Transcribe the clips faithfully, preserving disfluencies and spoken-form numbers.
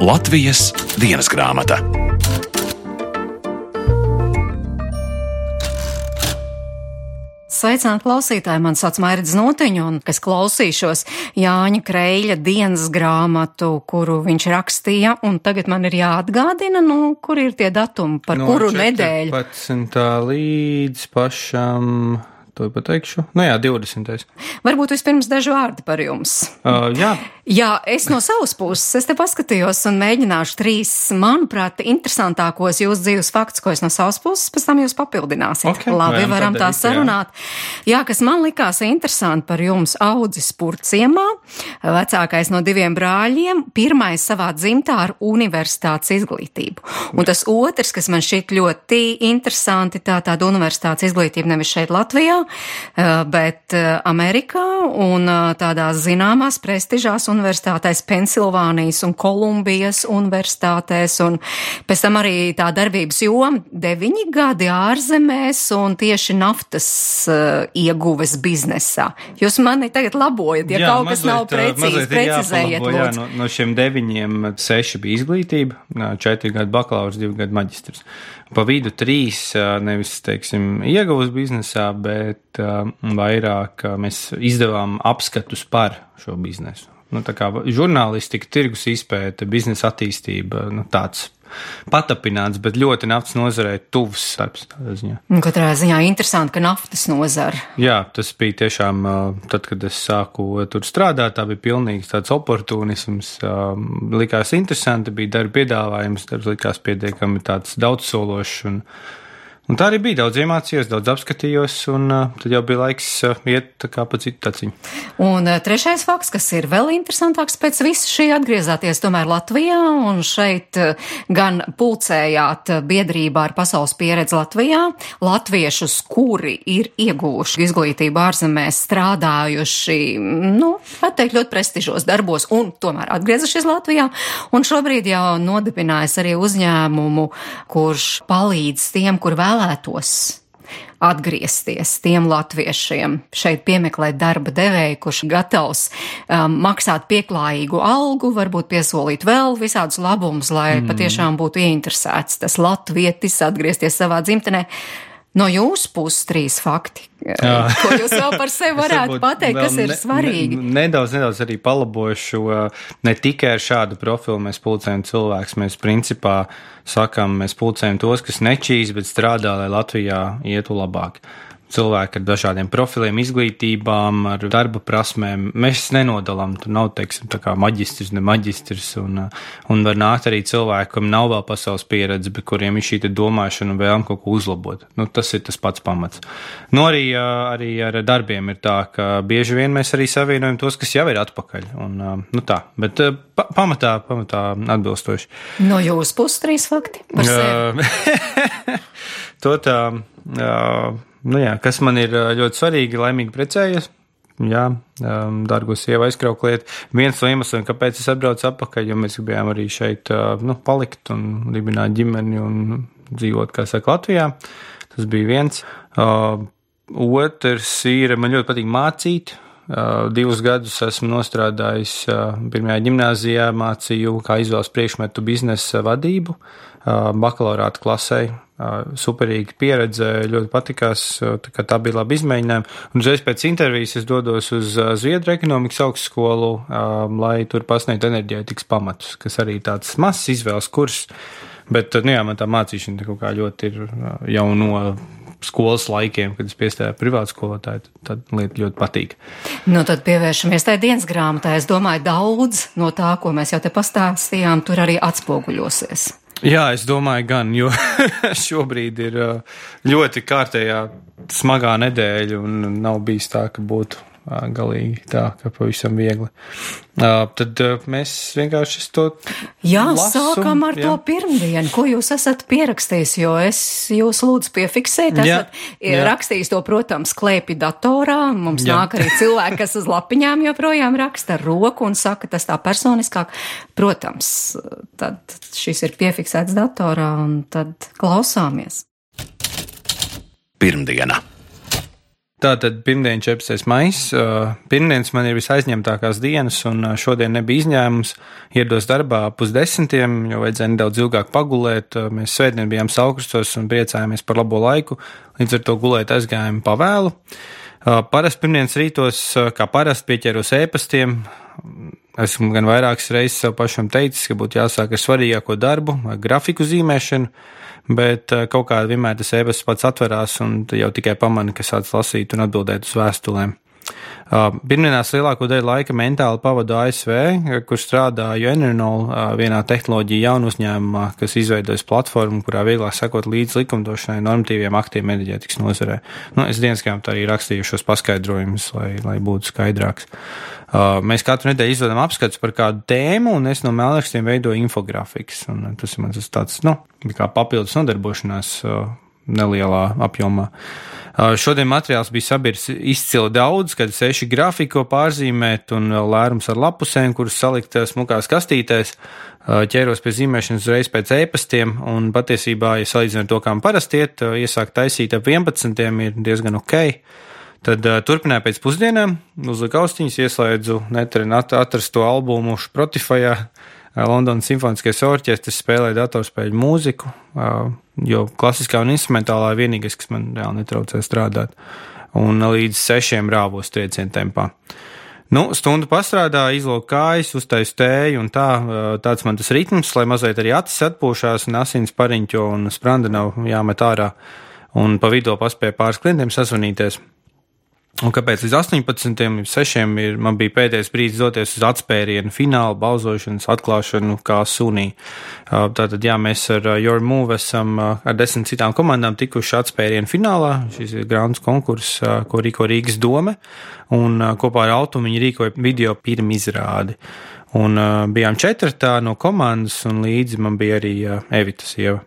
Latvijas dienas grāmata. Sveicināti klausītāji, man sauc Mairida Znotiņa, un es klausīšos Jāņa Kreļa dienas grāmatu, kuru viņš rakstīja, un tagad man ir jāatgādina, nu, kur ir tie datumi, par no, kuru nedēļu. No četrpadsmitā līdz pašam, to pateikšu, nu jā, divdesmitais. Varbūt vispirms daži vārdi par jums. Uh, jā. Jā, es no savas puses, es te paskatījos un mēģināšu trīs, manuprāt, interesantākos jūsu dzīves faktus, ko es no savas puses, pēc tam jūs papildināsiet. Okay, Labi, varam tā darīt, sarunāt. Jā. jā, kas man likās interesanti par jums, audzis Purciemā, vecākais no diviem brāļiem, pirmais savā dzimtā ar universitātes izglītību. Un tas otrs, kas man šķiet ļoti interesanti, tā tāda universitātes izglītība nevis šeit Latvijā, bet Amerikā un tādās zināmās prestižās universitātēs, Pensilvānijas un Kolumbijas universitātēs, un pēc tam arī tā darbības joma deviņi gadi ārzemēs un tieši naftas uh, ieguves biznesā. Jūs mani tagad labojat, ja jā, kaut kas mazliet, nav precīzi, precizējiet, lūdzu. Jā, no, no šiem deviņiem seši bija izglītība, četri gadi bakalaurs, divi gadi maģistrs. Pa vidu trīs, nevis, teiksim, ieguvas biznesā, bet uh, vairāk uh, mēs izdevām apskatus par šo biznesu. Nu, tā kā žurnālistika, tirgus izpēta, biznesa attīstība, nu, tāds patapināts, bet ļoti naftas nozarē tuvs darbs tādā ziņā. Katrā ziņā interesanti, ka naftas nozara. Jā, tas bija tiešām, tad, kad es sāku tur strādāt, tā bija pilnīgs tāds oportunisms, likās interesanti, bija darba piedāvājums, darbs likās pietiekami tāds daudzsološs un Un tā arī bija, daudz iemācījos, daudz apskatījos, un uh, tad jau bija laiks uh, iet tā kā pa citu taciņu. Un uh, trešais fakts, kas ir vēl interesantāks pēc visu šī atgriezāties tomēr Latvijā, un šeit uh, gan pulcējāt biedrībā ar pasaules pieredzi Latvijā, latviešus, kuri ir ieguvuši izglītību ārzemēs, strādājuši, nu, atteikt ļoti prestižos darbos, un tomēr atgriezušies Latvijā, un šobrīd jau nodibinājis arī uzņēmumu, kurš palīdz tiem, kur vēl vēlētos atgriezties tiem latviešiem, šeit piemeklēt darba devēju, kurš gatavs um, maksāt pieklājīgu algu, varbūt piesolīt vēl visādus labumus, lai mm. patiešām būtu ieinteresēts tas latvietis atgriezties savā dzimtenē. No jūsu puses trīs fakti, Jā. Ko jūs vēl par sevi varētu pateikt, kas ir ne, svarīgi? Ne, nedaudz, nedaudz arī palabošu, ne tikai ar šādu profilu mēs pulcējam cilvēkus, mēs principā sakam, mēs pulcējam tos, kas nečīs, bet strādā, lai Latvijā ietu labāk. Cilvēki ar dažādiem profiliem, izglītībām, ar darba prasmēm. Mēs nenodalām, tur nav, teiksim, tā kā maģistrs, ne maģistrs, un, un var nākt arī cilvēki, kam nav vēl pasaules pieredze, bet kuriem ir šī domāšana un vēlme kaut ko uzlabot. Nu, tas ir tas pats pamats. Nu, arī, arī ar darbiem ir tā, ka bieži vien mēs arī savienojam tos, kas jau ir atpakaļ. Un, nu tā, bet pa, pamatā, pamatā atbilstoši. No jūsu puses trīs fakti par sevi? To tā... Uh, Nu jā, kas man ir ļoti svarīgi, laimīgi precējies. Jā, um, dargo sievu aizkraukliet. Viens no iemesliem, kāpēc es atbraucu atpakaļ, jo mēs gribējām arī šeit uh, nu, palikt un dibināt ģimeni un dzīvot, kā saka, Latvijā. Tas bija viens. Uh, otrs ir, man ļoti patīk mācīt. Uh, divus gadus esmu nostrādājis uh, pirmajā ģimnāzijā, mācīju, kā izvēles priekšmetu biznesa vadību, uh, bakalaurāta klasē. Superīga pieredze, ļoti patikās, tā, kā tā bija labi izmēģinājumi. Un uzreiz pēc intervijas es dodos uz Zviedru ekonomikas augstskolu, lai tur pasniegtu enerģētikas pamatus, kas arī tāds mazs izvēles kurs. Bet, nu jā, man tā mācīšana kaut kā ļoti ir jau no skolas laikiem, kad es piestājāju privātu skolotāju, tad lieta ļoti patīk. Nu, tad pievēršamies tai dienas grāmatai. Es domāju, daudz no tā, ko mēs jau te pastāstījām, tur arī atspoguļosies. Jā, es domāju gan, jo šobrīd ir ļoti kārtējā smagā nedēļa un nav bijis tā, ka būtu galīgi tā, ka pavisam viegli. Tad mēs vienkārši to Jā, lasu, sākam ar jā. To pirmdienu, ko jūs esat pierakstījis, jo es jūs lūdzu piefiksēt, esat jā, jā. rakstījis to, protams, klēpi datorā, mums jā. Nāk arī cilvēki, kas uz lapiņām joprojām raksta ar roku un saka, tas tā personiskāk. Protams, tad šis ir piefiksēts datorā un tad klausāmies. Pirmdiena. Tātad pirmdien četrpadsmitais maijs. Pirmdienas man ir visaizņemtākās dienas, un šodien nebija izņēmums. Ierados darbā pusdesmitiem, jo vajadzēja nedaudz ilgāk pagulēt. Mēs svētdien bijām Saukrustos un priecājāmies par labo laiku, līdz ar to gulēt aizgājām pavēlu. Parasti pirmdienas rītos, kā parasti, pieķeros ēpastiem. Esmu gan vairākas reizes sev pašam teicis, ka būtu jāsāk ar svarīgāko darbu, ar grafiku zīmēšanu, bet kaut kā vienmēr tas ēpasts pats atverās un jau tikai pamani, ka sāc lasīt un atbildēt uz vēstulēm. Pirmdienās lielāko daļu laika mentāli pavadu A S V, kur strādāju Enernol vienā tehnoloģija jaunu uzņēmumā, kas izveidojas platformu, kurā vieglāk sekot līdz likumdošanai normatīviem aktiem enerģētikas nozarē. Nu, es dienas grāmatā arī rakstīju šos paskaidrojumus, lai, lai būtu skaidrāks. Mēs katru nedēļu izvedam apskats par kādu tēmu, un es no mēlrakstiem veidoju infografikas. Un tas ir mans tāds, nu, kā papildus nodarbošanās nelielā apjomā. Šodien materiāls bija sabirs izcili daudz, kad seši grafiko pārzīmēt un vēl lērums ar lapusēm, kuras salikt smukās kastītēs. Ķēros pie zīmēšanas uzreiz pēc ēpastiem, un patiesībā, ja salīdzinām to, kā man parasti iet, iesākt taisīt ap vienpadsmitiem ir diezgan ok. Tad uh, turpināju pēc pusdienām, uzliku austiņas, ieslēdzu netren atrasto albumu Spotifyā, uh, Londonas simfoniskais orķestris, spēlēju datorspēļu mūziku, uh, jo klasiskā un instrumentālā vienīgais, kas man reāli netraucē strādāt, un līdz sešiem rāvos triecienu tempā. Nu, stundu pastrādāju, izlūku kājas, uztaisu tēju un tā, uh, tāds man tas ritms, lai mazliet arī acis atpūšās un asins pariņķo un spranda nav jāmet ārā, un pa vidu paspēju pāris klientiem sazvanīties. Un kāpēc līdz astoņpadsmitiem, sešiem ir, man bija pēdējais brīdis doties uz atspērienu finālu, balsošanas atklāšanu kā sunī. Tātad, jā, mēs ar Your Move esam ar desmit citām komandām tikuši atspērienu finālā. Šis ir grāns konkurss, ko rīko Rīgas dome, un kopā ar Altumu viņi rīkoja video pirmizrādi. Un bijām četratā no komandas, un līdzi man bija arī Evita sieva.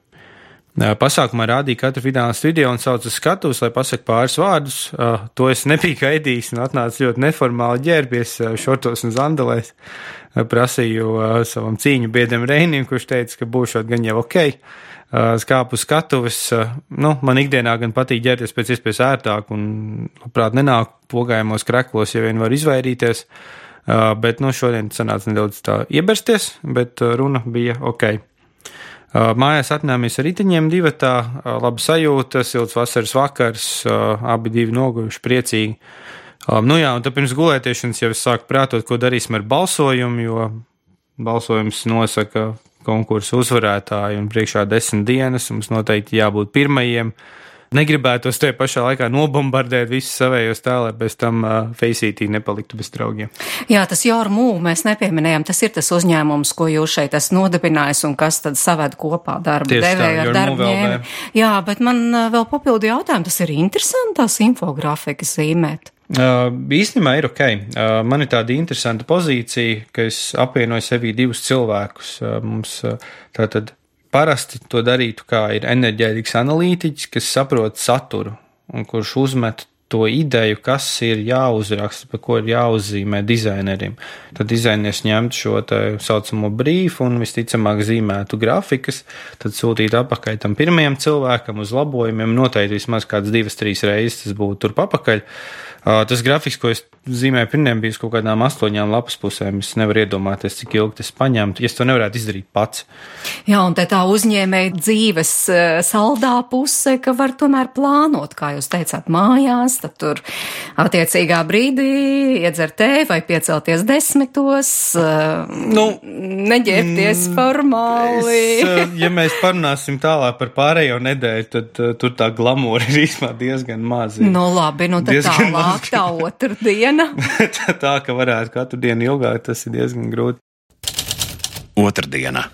Pasākumā rādīja katru finālistu video un sauc uz skatuves, lai pasaka pāris vārdus. Uh, to es nebiju gaidījis un atnācu ļoti neformāli ģērbies uh, šortos un zandalēs. Uh, prasīju uh, savam cīņu biedram Reinim, kurš teica, ka būšot gan jau ok. Uh, skāpu uz skatuves. Uh, nu, man ikdienā gan patīk ģērties pēc iespējas ērtāk un, labprāt, nenāk pogājumos kreklos, ja vien var izvairīties. Uh, bet, nu, šodien sanāca nedaudz tā iebersties, bet uh, runa bija ok. Mājās atnāmies ar riteņiem divatā, laba sajūta, silts vasaras vakars, abi divi noguvuši priecīgi. Nu jā, un tad pirms gulētiešanas jau es sāku prātot, ko darīsim ar balsojumu, jo balsojums nosaka konkursu uzvarētāju un priekšā desmit dienas, mums noteikti jābūt pirmajiem. Negribētos te pašā laikā nobombardēt visus savējos tā, lai bez tam uh, Faceitī nepaliktu bez draugiem. Jā, tas Your Move mēs nepieminējām, tas ir tas uzņēmums, ko jūs šeit esat nodibinājis un kas tad saved kopā darba devēju ar darba ņēmi. Jā, bet man uh, vēl papildu jautājumu, tas ir interesanti tās infografikas zīmēt. Uh, īstenībā ir ok. Uh, man ir tāda interesanta pozīcija, ka es apvienoju sevī divus cilvēkus. Uh, mums uh, tātad parasti to darītu, kā ir enerģētikas analītiķis, kas saprot saturu un kurš uzmet to ideju, kas ir jāuzraksta, par ko ir jāuzzīmē dizainerim. Tad dizainers ņemtu šo tā saucamo brīfu un visticamāk zīmētu grafikas, tad sūtītu apakaļ tam pirmajam cilvēkam uz labojumiem, noteikti vismaz kāds divas, trīs reizes tas būtu tur papakaļ. Tas grafiks, ko es zīmēju pirmiem, bija kaut kādām astoņām lapas pusēm. Es nevaru iedomāties, cik ilgi tas paņemtu, ja es to nevarētu izdarīt pats. Jā, un te tā uzņēmēja dzīves saldā puse, ka var tomēr plānot, kā jūs teicāt, mājās, tad tur attiecīgā brīdī iedzer tēju vai piecelties desmitos, nu, neģērbties mm, formāli. Es, ja mēs parunāsim tālāk par pārējo nedēļu, tad uh, tur tā glamūra ir īstenībā diezgan maz. Nu labi, nu tad tālāk. Tā otrdiena. Tā, ka varētu katru dienu ilgāk, tas ir diezgan grūti. Otrdiena.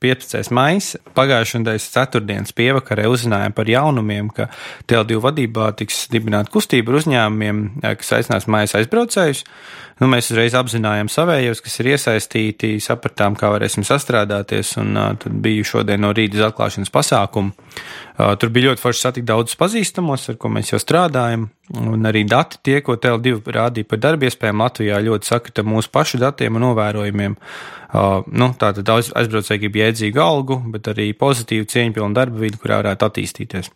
piecpadsmitais maijs. Pagājušajā nedēļas ceturtdienas pievakarē uzzinājām par jaunumiem, ka T L divi vadībā tiks dibināta kustība ar uzņēmumiem, kas aicinās mājas aizbraucējus. Nu, mēs uzreiz apzinājām savējos, kas ir iesaistīti, sapratām, kā varēsim sastrādāties, un uh, tad biju šodien no rīta uz atklāšanas pasākumu. Uh, tur bija ļoti forši satikt daudzus pazīstamos, ar ko mēs jau strādājam, un arī dati tie, ko T L divi rādīja par darbiespējām Latvijā, ļoti sakrita mūsu pašu datiem un novērojumiem. Uh, nu, tātad aizbraucēji grib jēdzīgu algu, bet arī pozitīvu cieņpilnu darba vidi, kurā varētu attīstīties.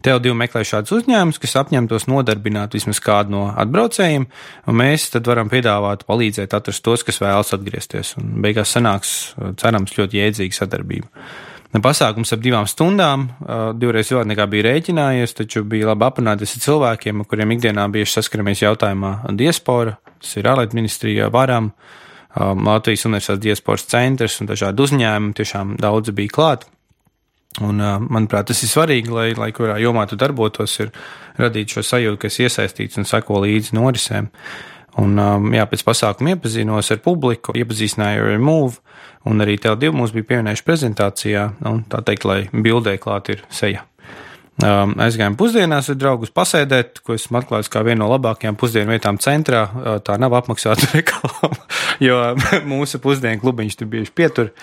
T L divi meklē šādus uzņēmumus, kas apņemtos nodarbināt vismaz kādu no atbraucējiem, un mēs tad varam piedāvāt, palīdzēt atrast tos, kas vēlas atgriezties. Un beigās sanāks, cerams, ļoti jēdzīga sadarbība. Pasākums ap divām stundām, divreiz vēl nekā bija rēķinājies, taču bija labi aprunāties ar cilvēkiem, ar kuriem ikdienā bieži saskaramies jautājumā diaspora, tas ir ārlietu ministrija, varam, Latvijas Universitātes diasporas centrs un dažādi uzņēmumi, tiešām daudzi bija klāt. Un, manuprāt, tas ir svarīgi, lai, lai kurā jomā tu darbotos, ir radīt šo sajūtu, ka esi iesaistīts un seko līdzi norisēm. Un, jā, pēc pasākuma iepazinos ar publiku, iepazīstināju ar Move, un arī T L divi mums bija pievienojuši prezentācijā, un tā teikt, lai bildē klāt ir seja. Um, aizgājām pusdienās ar draugus pasēdēt, ko esmu atklājis kā vienu no labākajām pusdienu vietām centrā. Tā nav apmaksāta reklāma, jo mūsu pusdienu klubiņš tur bieži pietur.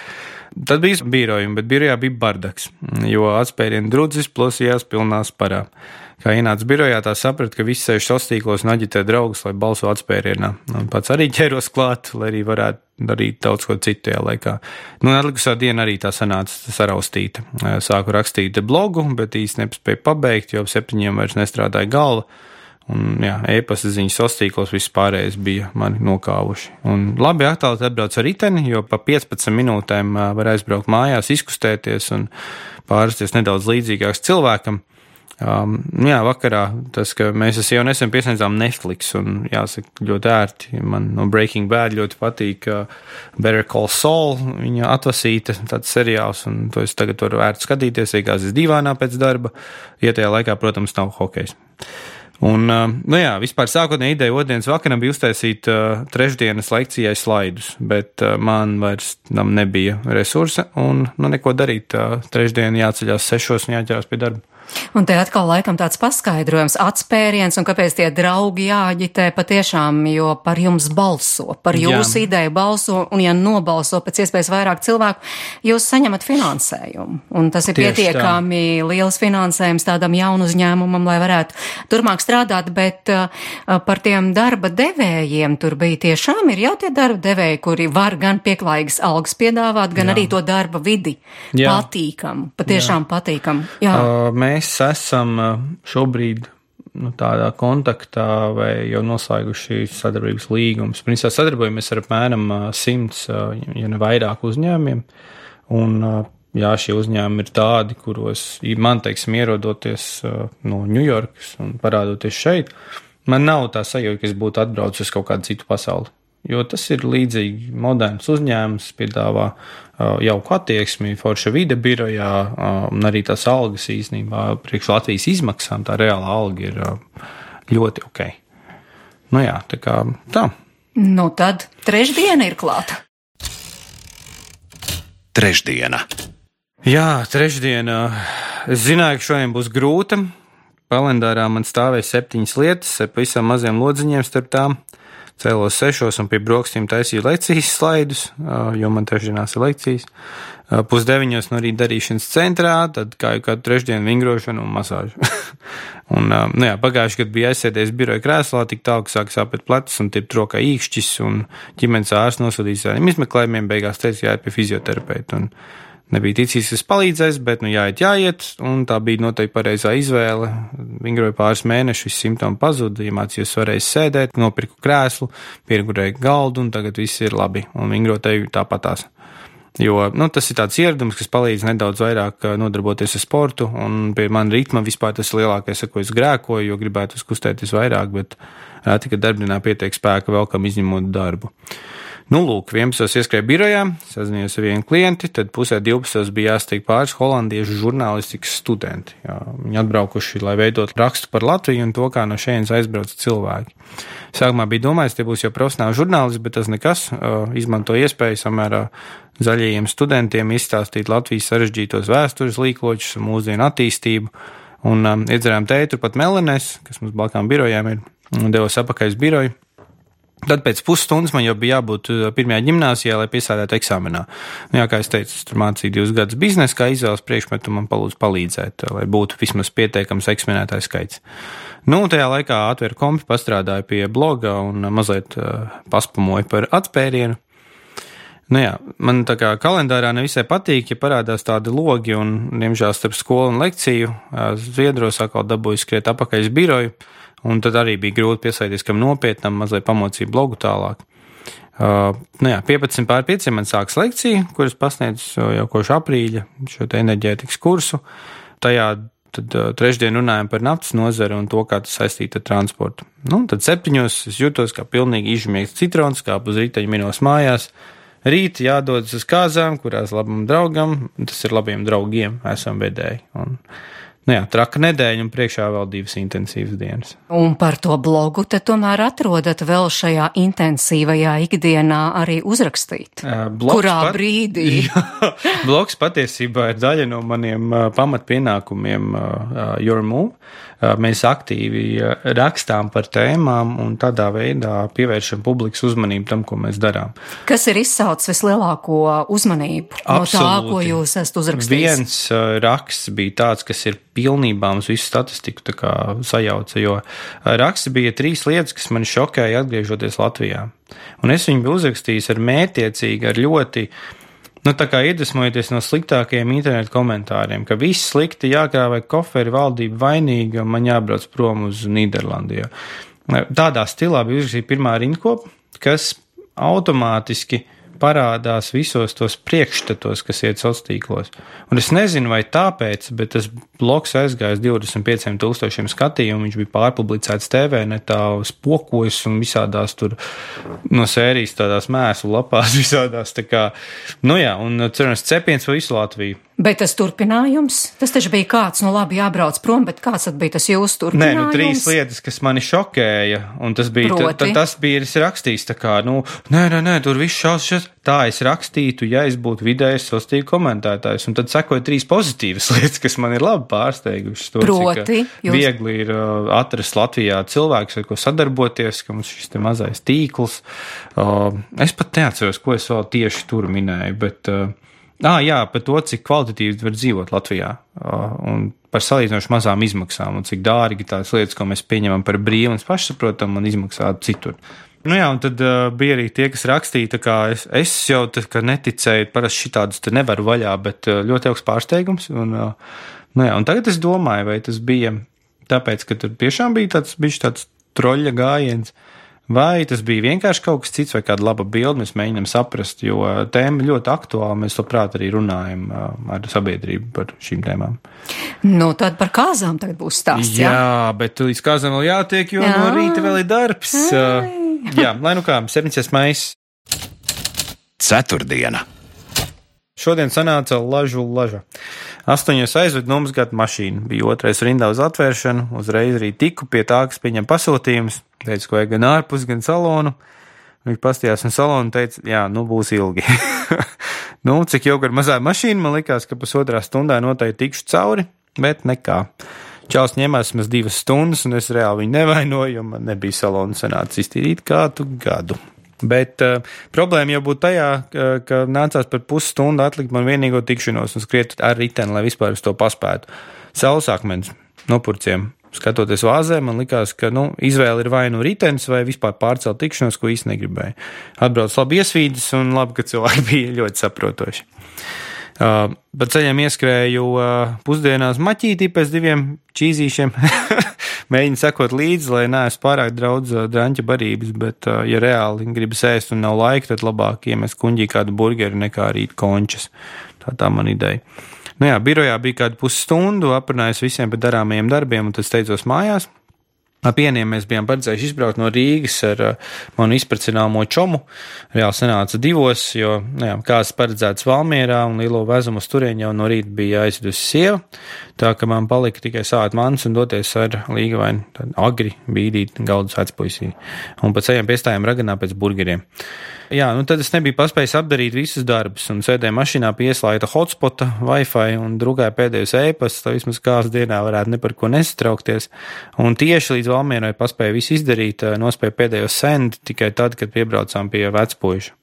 Tad bija birojumi, bet birojā bija bardaks, jo atspērienu drudzis plosījās pilnā sparā. Kā ienāca birojā, tā saprata, ka visi sēž sastīklos un aģitē draugus, lai balso atspērienā. Un pats arī ķēros klāt, lai arī varētu darīt daudz ko citu tajā laikā. Nu, atlikusā diena arī tā sanāca saraustīta. Sāku rakstīt blogu, bet īsti nespēju pabeigt, jo ap septiņiem vairs nestrādāja galva. Un, jā, e-pasta ziņas sastīklos viss pārējais bija mani nokāvuši. Un labi aktuāli atbrauc ar riteni, jo pa piecpadsmit minūtēm var aizbraukt mājās, izkustēties un pārsties nedaudz līdzīgāks cilvēkam. Um, jā, vakarā tas, ka mēs jau nesen piesniedzām Netflix un jāsaka ļoti ērti. Man no Breaking Bad ļoti patīk uh, Better Call Saul, viņa atvasīta tāds seriāls, un to es tagad varu ērti skatīties, iegāzes divānā pēc darba, ja tajā laikā, protams, nav hokejs. Un, uh, nu jā, vispār sākotnēji ideja otrdienas vakaram bija uztaisīt uh, trešdienas lekcijai slaidus, bet uh, man vairs tam nebija resursa, un nu neko darīt, uh, trešdien jāceļās sešos un jāķerās pie darba. Un te atkal laikam tāds paskaidrojums, atspēriens un kāpēc tie draugi jāģitē patiešām, jo par jums balso, par jūsu Jā. ideju balso, un ja nobalso pēc iespējas vairāk cilvēku, jūs saņemat finansējumu. Un tas ir Tieši pietiekami tā. liels finansējums tādam jaunu uzņēmumam, lai varētu turpmāk strādāt, bet uh, par tiem darba devējiem tur bija tiešām ir jau tie darba devēji, kuri var gan pieklājīgas algas piedāvāt, gan Jā. arī to darba vidi Jā. patīkam, patiešām Jā. patīkam. Jā. Uh, Mēs esam šobrīd nu, tādā kontaktā vai jau noslēguši sadarbības līgumus. Principā sadarbojamies ar apmēram simts, ja ne vairāk uzņēmumiem. Un jā, šie uzņēmumi ir tādi, kuros man, teiksim, ierodoties no Ņujorkas un parādoties šeit, man nav tā sajūta, ka es būtu atbraucis uz kaut kādu citu pasauli. Jo tas ir līdzīgi moderns uzņēmums, piedāvā uh, jauku attieksmi, forša vide birojā, uh, un arī tās algas īstenībā priekš Latvijas izmaksām, tā reāla alga ir uh, ļoti ok. Nu jā, tā kā tā. Nu tad trešdiena ir klāta. Trešdiena. Jā, trešdiena. Es zināju, ka šodien būs grūta. Kalendārā man stāvēja septiņas lietas, ar pavisam maziem lodziņiem starp tām. Cēlos sešos un pie brokstīm taisīju lekcijas slaidus, jo man trešdienās ir lekcijas. Pusdeviņos no rīta darīšanas centrā, tad kā jau kādu trešdienu vingrošanu un masāžu. un, nu jā, pagājuši, kad bija aizsēdies biroja krēslā, tik tālu, ka sāk sāpēt plecs un tirpt rokā īkšķis, un ģimenes ārsts nosūtīs ar izmeklējumiem, beigās teica, jāiet pie fizioterapeita. Un nebija ticis, kas palīdzēs, bet nu jāiet, jāiet, un tā bija noteikti pareizā izvēle. Vingroju pāris mēnešus, visi simptomi pazuda, iemācījos varēs sēdēt, nopirku krēslu, pieregurēju galdu, un tagad viss ir labi, un vingroteju tāpatās. Jo, nu, tas ir tāds ieradums, kas palīdz nedaudz vairāk nodarboties ar sportu, un pie man ritma vispār tas ir lielākais, ar ko es grēkoju, jo gribētu kustēties vairāk, bet reti, ka darbdienā pietiek spēka vēl kam izņemot darbu. Nu, lūk, vienpadsmitos ieskrēju birojā, sazinājos ar vienu klienti, tad pusē divpadsmitos bija jāsteig pāris holandiešu žurnālistikas studenti. Jā, viņi atbraukuši, lai veidot rakstu par Latviju un to, kā no šejienes aizbrauc cilvēki. Sākumā bija domājis, tie būs jau profesionāli žurnālisti, bet tas nekas, izmanto iespēju samērā zaļajiem studentiem izstāstīt Latvijas sarežģītos vēstures līkločus un mūsdienu attīstību. Un um, iedzerām teitu pat Melenēs, kas mums blakus birojām ir, un devos apakaļ uz biroju. Tad pēc pusstundas man jau bija jābūt pirmajā ģimnāzijā, lai piesādētu eksāmenā. Nu, jā, kā es teicu, es tur mācīju divus gadus biznesu, kā izvēles priekšmetu man palūdzu palīdzēt, lai būtu vismaz pieteikams eksminētājs skaits. Nu, tajā laikā atvēru kompi, pastrādāju pie bloga un mazliet uh, paspamoju par atspērienu. Nu jā, man tā kā kalendārā nevisai patīk, ja parādās tādi logi un, diemžēl, starp skolu un lekciju Zviedros atkal dabūju skriet apakaļ uz biroju, un tad arī bija grūti piesaistīties kam nopietnam, mazliet pamocīju blogu tālāk. Uh, nu jā, piecpadsmit pār pieciem man sāks lekcija, kuras pasniedzu jau kopš aprīļa šo te enerģētikas kursu. Tajā tad uh, trešdien runājam par naftas nozari un to, kā tas saistīta ar transportu. Nu, tad septiņos es jūtos kā pilnīgi izžmiegts citrons, kā uz rītaņa minos mājās. Rīt jādodas uz kāzām, kurās labam draugam, tas ir labiem draugiem, esam vedēji. Un, nu jā, traka nedēļa un priekšā vēl divas intensīvas dienas. Un par to blogu te tomēr atrodat vēl šajā intensīvajā ikdienā arī uzrakstīt. Uh, Kurā pat, brīdī? Jā, blogs patiesībā ir daļa no maniem uh, pamatpienākumiem uh, Your Move. Uh, mēs aktīvi uh, rakstām par tēmām un tādā veidā pievēršam publikas uzmanību tam, ko mēs darām. Kas ir izsaucis vislielāko uzmanību no tā, ko jūs esat uzrakstījis? Viens uh, raksts bija tāds, kas ir pilnībā mums visu statistiku tā kā sajauca, jo raksts bija trīs lietas, kas mani šokēja atgriežoties Latvijā. Un es viņu biju uzrakstījis ar mērķiecīgi, ar ļoti, nu tā kā iedvesmojoties no sliktākajiem internetu komentāriem, ka viss slikti jākrāvē koferi, valdība vainīga un man jābrauc prom uz Nīderlandi. Tādā stilā bija uzrakstīta pirmā rindkopa, kas automātiski parādās visos tos priekšstatos, kas iet sociālos tīklos. Un es nezinu, vai tāpēc, bet tas blogs aizgāja divdesmit pieciem tūkstošiem skatījumu, viņš bija pārpublicēts T V netā, spokojas un visādās tur no sērijas tādās mēslu lapās visādās, tā kā, nu jā, un cerams cepiens pa visu Latviju. Bet tas turpinājums, tas taču bija kāds, nu labi, jābrauc prom, bet kāds tad bija tas jūsu turpinājums? Nē, nu trīs lietas, kas mani šokēja, un tas bija, t, t, tas bija, es rakstījis tā kā, nu, nē, nē, nē, tur viss šaus, šaus, tā es rakstītu, ja es būtu vidējais sociālo komentētājs, un tad sekoja trīs pozitīvas lietas, kas man ir labi pārsteigušas. To, Proti, cik jūs... viegli ir uh, atrast Latvijā cilvēks, ar ko sadarboties, ka mums šis te mazais tīkls. Uh, es pat neatceros, ko es vēl tieši tur minēju, bet... Uh, Ah, jā, par to, cik kvalitatīvi var dzīvot Latvijā uh, un par salīdzinoši mazām izmaksām un cik dārgi tās lietas, ko mēs pieņemam par brīvu un pašsaprotam, man izmaksā citur. Nu jā, un tad uh, bija arī tie, kas rakstīja, tā kā es, es jau tā kā neticēju, parasti šitādus te nevaru vaļā, bet uh, ļoti augsts pārsteigums. Un, uh, nu jā, un tagad es domāju, vai tas bija tāpēc, ka tur tiešām bija tāds, bija tāds troļļa gājiens, vai tas bija vienkārši kaut kas cits vai kāda laba bilde, mēs mēģinām saprast, jo tēma ļoti aktuāla, mēs labprāt arī runājam ar sabiedrību par šīm tēmām. Nu, tad par kāzām tagad būs stāsts, jā? Jā, bet līdz kāzām vēl jātiek, jo jā. No rīta vēl ir darbs. Ai. Jā, lai nu kā, septiņdesmit maijs. Ceturtdiena. Šodien sanāca lažu laža. Astoņos aizved nomazgāt mašīnu. Bija otrais rindā uz atvēršanu. Uzreiz arī tiku pie tā, kas pieņem pasūtījumus. Teicu, ko ir gan ārpus, gan salonu. Viņš pastījās un salonu teica, jā, nu būs ilgi. Nu, cik jau ar mazā mašīnu, man likās, ka pusotrā stundā noteikti tikšu cauri, bet nekā. Čāls ņemās maz divas stundas, un es reāli viņu nevainoju, jo man nebija salonu sanācis iztīrīt kādu gadu. Bet uh, problēma jau būtu tajā, ka, ka nācās par pusstundu atlikt man vienīgo tikšanos un skriet ar riteni, lai vispār uz to paspētu. Saules akmens nopurciem. Skatoties vāzē, man likās, ka nu, izvēle ir vai nu ritenis, vai vispār pārcelt tikšanos, ko īsti negribēju. Atbrauc labi iesvīdis un labi, ka cilvēki bija ļoti saprotoši. Uh, pa ceļam ieskrēju uh, pusdienās maķītī pēc diviem čīzīšiem. Mēģinu sekot līdzi, lai neesmu pārāk daudz uh, draņķa barības, bet, uh, ja reāli gribas ēst un nav laika, tad labāk iemest kuņģī kādu burgeri nekā rīt končas. Tā tā man ideja. Nu jā, birojā bija kādu pusstundu, aprunājos visiem par darāmajiem darbiem, un tad steidzos mājās. Ap vieniem mēs bijām paredzējuši izbraukt no Rīgas ar uh, manu izprecināmo čomu. Reāli sanāca divos, jo, nu jā, kāds paredzēts Valmierā un lielo vezumu uz turieni jau no rīta bija aizvedusi sieva. Tā, ka man palika tikai sāt mans un doties ar Līgavainu, tad agri bīdīt galdus vecpuisī. Un pa ceļiem piestājām Raganā pēc burgeriem. Jā, nu tad es nebiju paspējis apdarīt visus darbus un sēdēju mašīnā pieslēgta hotspota, Wi-Fi un drukāju pēdējos e-pastus, lai vismaz kāds dienā varētu ne par ko nesatraukties. Un tieši līdz Valmierai paspēju visu izdarīt, nospēju pēdējo send tikai tad, kad piebraucām pie vecpuiša.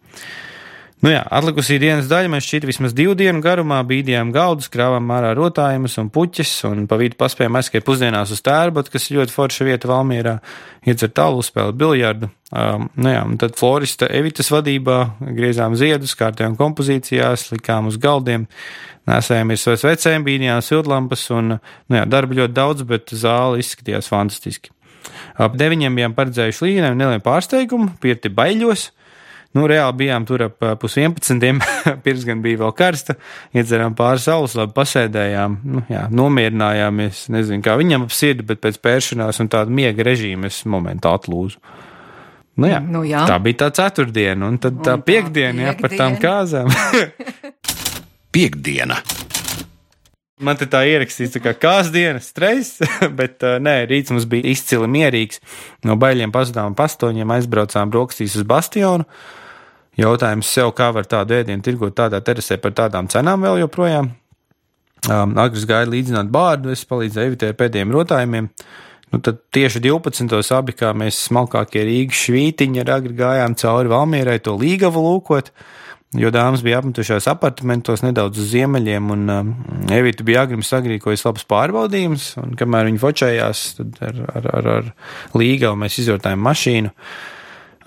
Nu jā, atlikusī dienas daļa mēs šķiet vismaz divu dienu garumā bīdījām galdus, krāvām ārā rotājumus un puķis, un pa vidu paspējām aizskriet pusdienās uz Tērbotu, kas ir ļoti forša vieta Valmierā, iedzert talu, spēlēt biljardu. Um, nu jā, un tad florista Evitas vadībā griezām ziedus, kārtējām kompozīcijās, likām uz galdiem, nesējāmies savas vecēm, bīdījām siltlampas, un nu jā, darba ļoti daudz, bet zāle izskatījās fantastiski. Ap deviņiem bijām paredzējuši līnēm nelielu pārsteigumu, pirti Baiļos. Nu, reāli bijām tur ap pus vienpadsmitiem, pirms gan bija vēl karsta, iedzerām pāris saules, labi pasēdējām, nu, jā, nomierinājāmies, nezinu, kā viņam ap sirdi, bet pēc pēršanās un tāda miega režīma es momentā atlūzu. Nu jā, nu jā, tā bija tā ceturtdiena, un tad tā un piekdiena, jā, par tām kāzām. Piekdiena. Man te tā ierakstīts tā kā kāsdiena, stress, bet uh, nē, rīts mums bija izcili mierīgs. No Baiļiem pazudām pastoņiem, aizbraucām brokastīs uz Bastionu. Jautājums sev, kā var tādu ēdienu tirgot tādā terasē par tādām cenām vēl joprojām. Um, Agris gāja līdzināt bārdu, es palīdzēju Evitē pēdējiem rotājumiem. Nu tad tieši divpadsmitos abi, kā mēs smalkākie Rīgas švītiņi ar Agri gājām cauri Valmierai to līgavu lūkot, jo dāmas bija apmetušās apartamentos nedaudz uz ziemeļiem, un um, Evita bija agrim sagrīkojas labs pārbaudījums, un kamēr viņi fočējās, tad ar, ar, ar, ar līgavu mēs izrotājām mašīnu.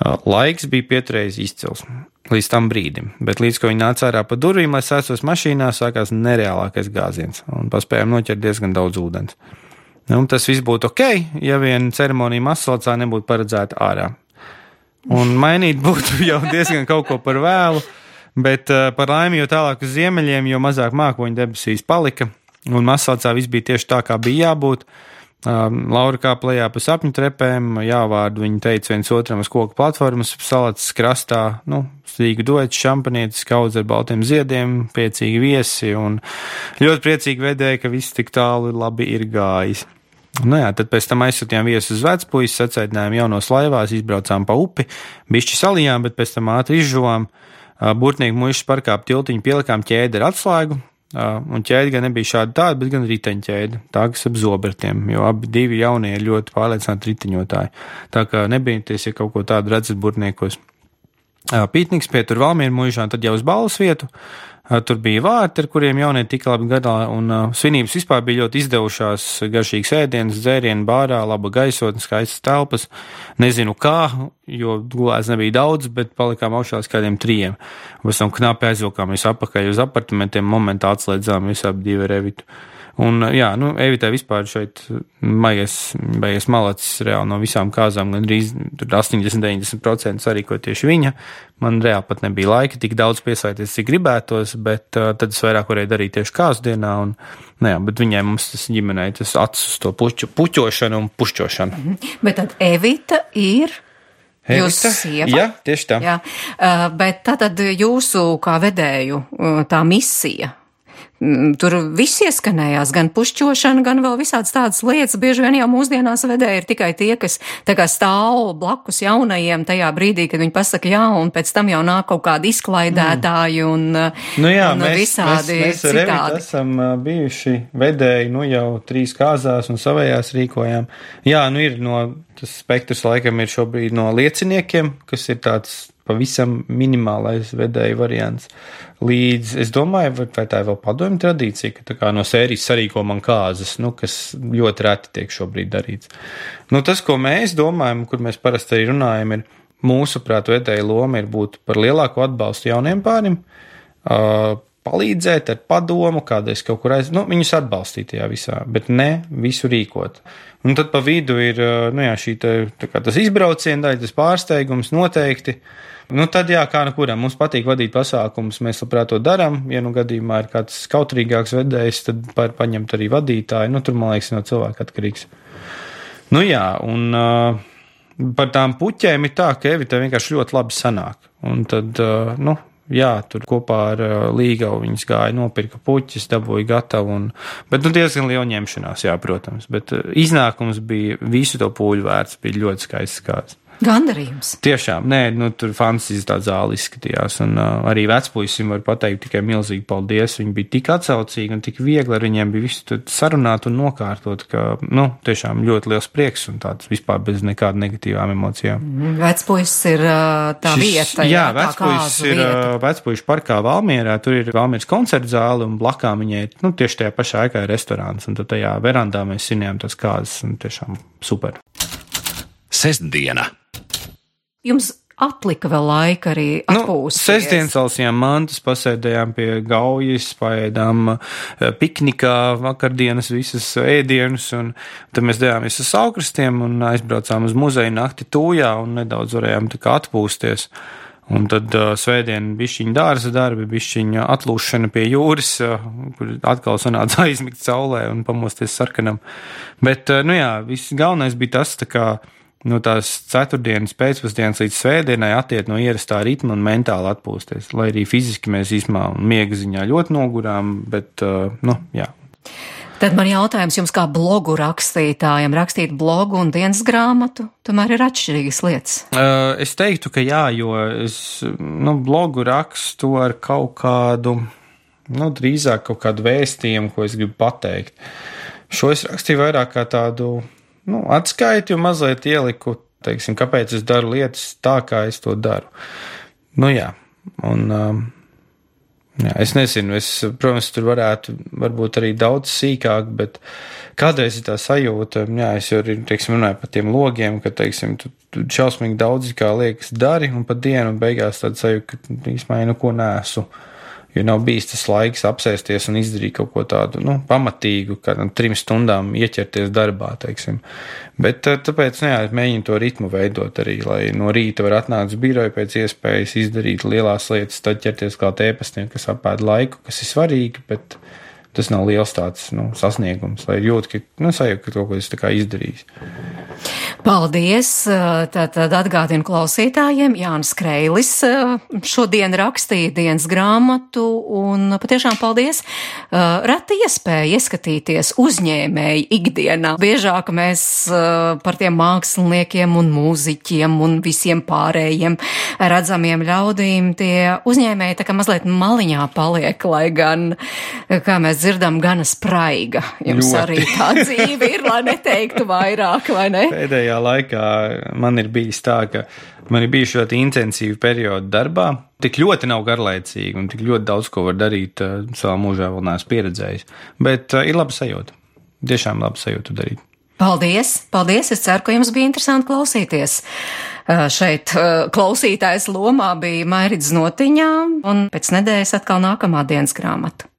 Uh, laiks bija pieturējis izcils līdz tam brīdim, bet līdz, ko viņi nāca ārā pa durvīm, lai sēstos mašīnā, sākās nereālākais gāziens, un paspējām noķert diezgan daudz ūdens. Nu, tas viss būtu ok, ja vien ceremonija Masalacā nebūtu paredzēta ārā. Un mainīt būtu jau diezgan kaut ko par vēlu, bet uh, par laimi, jo tālāk uz ziemeļiem, jo mazāk mākoņu debesīs palika, un Masalacā viss bija tieši tā, kā bija jābūt. Uh, Laura kāpa lejā pa sapņu trepēm, jāvārdu viņi teica viens otram uz koku platformas, salats krastā, nu, stīgu duets, šampanietis, kaudz ar baltiem ziediem, priecīgi viesi, un ļoti priecīgi vedēja, ka viss tik tālu labi ir gājis. Nu jā, tad pēc tam aizsūtījām viesu uz Vecpuisu, sacēdinājām jaunos laivās, izbraucām pa upi, bišķi salijām, bet pēc tam ātri izžuvām. Burtnieku muišas parkā ap tiltiņu pielikām ķēdi ar atslēgu, un ķēdi gan nebija šāda tāda, bet gan riteņķēdi, tā kas ap zobertiem, jo abi divi jaunie ir ļoti pārliecināti riteņotāji. Tā kā nebīties, ja kaut ko tādu redzat burtniekos. Pītniks pie tur Valmieru muižā, tad jau uz balvas vietu. Tur bija vārti, ar kuriem jaunie tika labi gadā, un uh, svinības vispār bija ļoti izdevušās, garšīgs ēdienas, dzērienu bārā, laba gaisotne, skaistas telpas. Nezinu kā, jo gulēs nebija daudz, bet palikām augšā līdz kādiem trījiem. Pēc tam knapi aizvilkāmies apakaļ uz apartamentiem, momentā atslēdzām visu ap divu ar Evitu. Un jā, nu, Evitai vispār šeit maies, beigas malacis reāli no visām kāzām, gan arī astoņdesmit līdz deviņdesmit procenti sarīko tieši viņa. Man reāli pat nebija laika tik daudz piesaisties, cik gribētos, bet uh, tad es vairāk varēju darīt tieši kāzu dienā, un, nu jā, bet viņai mums tas ģimenei tas acis uz to puķu, puķošanu un pušķošanu. Mm-hmm. Bet tad Evita ir... Jūsu sieva? Jā, tieši tā. Jā, uh, bet tātad jūsu kā vedēju uh, tā misija... Tur viss ieskanējās, gan pušķošana, gan vēl visādas tādas lietas. Bieži vien jau mūsdienās vedēji ir tikai tie, kas tā kā stāv blakus jaunajiem tajā brīdī, kad viņi pasaka jā, un pēc tam jau nāk kaut kādi izklaidētāji un, nu jā, un mēs, visādi mēs, mēs citādi. Mēs esam bijuši vedēji, nu jau trīs kāzās un savējās rīkojām. Jā, nu ir no, tas spektrs laikam ir šobrīd no lieciniekiem, kas ir tāds pavisam minimālais vedēju variants. Līdz, es domāju, vai tā ir vēl padomju tradīcija, ka tā kā no sērijas sarīko man kāzas, nu, kas ļoti reti tiek šobrīd darīts. Nu, tas, ko mēs domājam, kur mēs parasti arī runājam, ir mūsuprāt vedēju loma ir būt par lielāku atbalstu jauniem pārim, uh, palīdzēt ar padomu, kādreiz kaut kur aiz, nu, viņus atbalstīt tajā visā, bet ne visu rīkot. Un tad pa vidu ir, nu jā, šī tā, tā kā tas izbrauciena daļa, tas pārsteigums noteikti. Nu tad jā, kā nu kuram, mums patīk vadīt pasākumus, mēs labprāt to darām, ja nu gadījumā ir kāds kautrīgāks vedējs, tad par paņemt arī vadītāju, nu tur, man liekas, no cilvēka atkarīgs. Nu jā, un uh, par tām puķēm ir tā, ka Evita vienkārši ļoti labi sanāk, un tad, uh, nu, jā, tur kopā ar uh, Līgavu viņas gāja, nopirka puķis, dabūja gatavu, un, bet nu diezgan liela ņemšanās, jā, protams, bet uh, iznākums bija visu to pūļu vērts, bija ļoti skaists kāds. Gandarījums. Tiešām, nē, nu, tur fantasijas tā zāle izskatījās, un uh, arī vecpuisim var pateikt tikai milzīgi paldies. Viņi bija tik atsaucīgi un tik viegli, ar viņiem bija visu sarunāt un nokārtot, ka, nu, tiešām ļoti liels prieks un tāds vispār bez nekāda negatīvām emocijām. Vecpuisis ir uh, tā Šis, vieta, jā, jā vecpuisis ir uh, vecpuišu parkā Valmierā, tur ir Valmieras koncerta zāle un blakām viņai, nu, tieši tajā pašā ēkā ir restorāns, un tad tajā verandā mēs sinējām tās kāzas, un tiešām super. Sestdiena. Jums atlika vēl laika arī atpūsties. Nu, sestdien salsījām mantas, pasēdējām pie gaujas, paēdām piknikā vakardienas visas ēdienus, un tad mēs devāmies uz Saukrastiem un aizbraucām uz muzeju nakti Tūjā un nedaudz varējām tā kā atpūsties. Un tad uh, svētdien bišķiņa dārza darbi, bišķiņa atlūšana pie jūras, uh, kur atkal sanāca aizmigt saulē un pamosties sarkanam. Bet, uh, nu jā, viss galvenais bija tas, tā kā no tās ceturtdienas pēcpusdienas līdz svētdienai attiet no ierastā ritma un mentāli atpūsties. Lai arī fiziski mēs īsmā un miega ziņā ļoti nogurām, bet, uh, nu, jā. Tad man jautājums jums kā blogu rakstītājam, rakstīt blogu un dienas grāmatu, tomēr ir atšķirīgas lietas. Uh, es teiktu, ka jā, jo es, nu, blogu rakstu ar kaut kādu, nu, drīzāk kaut kādu vēstījumu, ko es gribu pateikt. Šo es rakstīju vairāk kā tādu, nu, atskaiti un mazliet ieliku, teiksim, kāpēc es daru lietas tā, kā es to daru. Nu, jā, un... Um, Jā, es nezinu, es, protams, tur varētu varbūt arī daudz sīkāk, bet kādreiz ir tā sajūta, jā, es jau arī, teiksim, runāju par tiem logiem, ka, teiksim, tu, tu šausmīgi daudz kā liekas dari, un pa dienu beigās tāda sajūta, ka īsmā jau neko nesu, jo nav bijis tas laiks apsēsties un izdarīt kaut ko tādu, nu, pamatīgu, kādam trim stundām ieķerties darbā, teiksim. Bet tāpēc, nu jā, mēģinu to ritmu veidot arī, lai no rīta var atnākt uz biroju pēc iespējas izdarīt lielās lietas, tad ķerties klāt ēpastiem, kas apēd laiku, kas ir svarīgi, bet tas nav liels tāds, nu, sasniegums, lai jūt, ka, nu, sajūt, ka kaut ko es tā kā izdarījis. Paldies! Tātad atgādinu klausītājiem, Jānis Kreilis šodien rakstīja dienas grāmatu, un patiešām paldies! Reta iespēja ieskatīties uzņēmēji ikdienā. Biežāk mēs par tiem māksliniekiem un mūziķiem un visiem pārējiem redzamiem ļaudīm tie uzņēmēji tā kā mazliet maliņā paliek, lai gan, kā mēs dzirdam, gana spraiga. Jums ļoti. Arī tā dzīve ir, lai neteiktu vairāk, vai ne? Pēdējā laikā man ir bijis tā, ka man ir bijuši ļoti intensīvi periodi darbā. Tik ļoti nav garlaicīgi un tik ļoti daudz ko var darīt uh, savā mūžā vēl neesmu pieredzējis. Bet uh, ir laba sajūta. Tiešām laba sajūta darīt. Paldies! Paldies! Es ceru, ka jums bija interesanti klausīties. Uh, šeit uh, klausītājs lomā bija Mairits Notiņā, un pēc nedēļas atkal nākamā dienas grāmata.